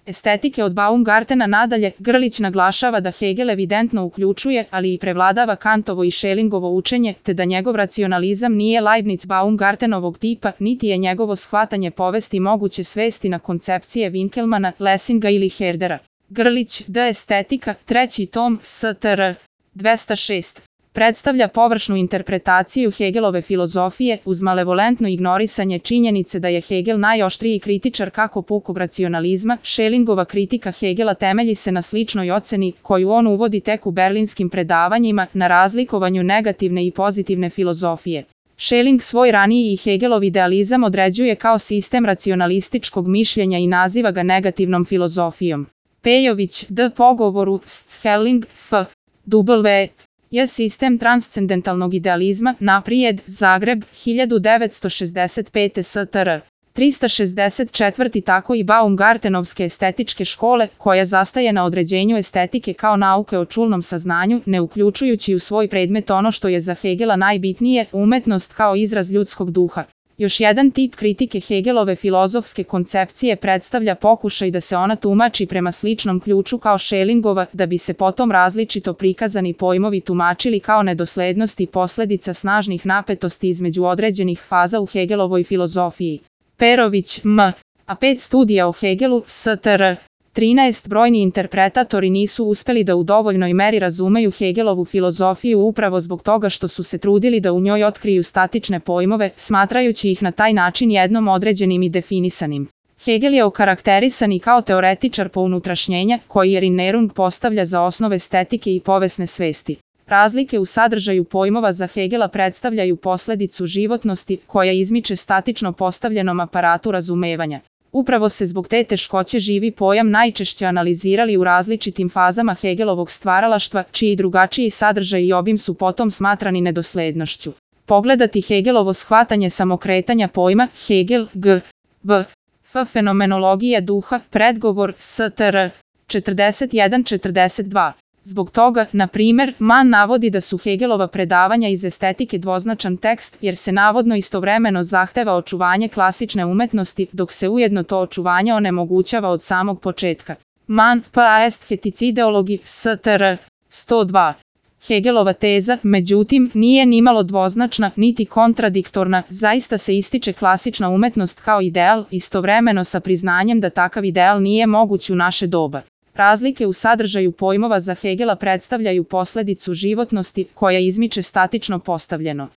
estetike od Baumgartena. Nadalje, Grlić naglašava da Hegel evidentno uključuje, ali i prevladava Kantovo i Schellingovo učenje, te da njegov racionalizam nije Leibniz Baumgartenovog tipa, niti je njegovo shvatanje povesti moguće svesti na koncepcije Winkelmana, Lessinga ili Herdera. Grlić, D. Estetika, 3. tom, STR. 206. Predstavlja površnu interpretaciju Hegelove filozofije uz malevolentno ignorisanje činjenice da je Hegel najoštriji kritičar kako pukog racionalizma. Schellingova kritika Hegela temelji se na sličnoj oceni koju on uvodi tek u berlinskim predavanjima na razlikovanju negativne i pozitivne filozofije. Schelling svoj raniji i Hegelov idealizam određuje kao sistem racionalističkog mišljenja i naziva ga negativnom filozofijom. Pejović, D. Pogovoru, Schelling, F. W. je sistem transcendentalnog idealizma, naprijed, Zagreb, 1965. STR. 364. Tako i Baumgartenovske estetičke škole, koja zastaje na određenju estetike kao nauke o čulnom saznanju, ne uključujući u svoj predmet ono što je za Hegela najbitnije, umetnost kao izraz ljudskog duha. Još jedan tip kritike Hegelove filozofske koncepcije predstavlja pokušaj da se ona tumači prema sličnom ključu kao Schellingova, da bi se potom različito prikazani pojmovi tumačili kao nedoslednost i posledica snažnih napetosti između određenih faza u Hegelovoj filozofiji. Perović, M. A 5 studija o Hegelu, STR. 13. Brojni interpretatori nisu uspeli da u dovoljnoj meri razumeju Hegelovu filozofiju upravo zbog toga što su se trudili da u njoj otkriju statične pojmove, smatrajući ih na taj način jednom određenim i definisanim. Hegel je okarakterisan i kao teoretičar pounutrašnjenja, koji Erinnerung postavlja za osnove estetike i povesne svesti. Razlike u sadržaju pojmova za Hegela predstavljaju posledicu životnosti koja izmiče statično postavljenom aparatu razumevanja. Upravo se zbog te teškoće živi pojam najčešće analizirali u različitim fazama Hegelovog stvaralaštva, čiji drugačiji sadržaj i obim su potom smatrani nedoslednošću. Pogledati Hegelovo shvatanje samokretanja pojma, Hegel, G. B. F. Fenomenologija duha, predgovor, STR. 41-42. Zbog toga, na primjer, Mann navodi da su Hegelova predavanja iz estetike dvoznačan tekst, jer se navodno istovremeno zahteva očuvanje klasične umetnosti, dok se ujedno to očuvanje onemogućava od samog početka. Mann, pa est feticideologi, STR. 102. Hegelova teza, međutim, nije nimalo dvoznačna, niti kontradiktorna, zaista se ističe klasična umetnost kao ideal, istovremeno sa priznanjem da takav ideal nije moguć u naše doba. Razlike u sadržaju pojmova za Hegela predstavljaju posledicu životnosti koja izmiče statično postavljeno.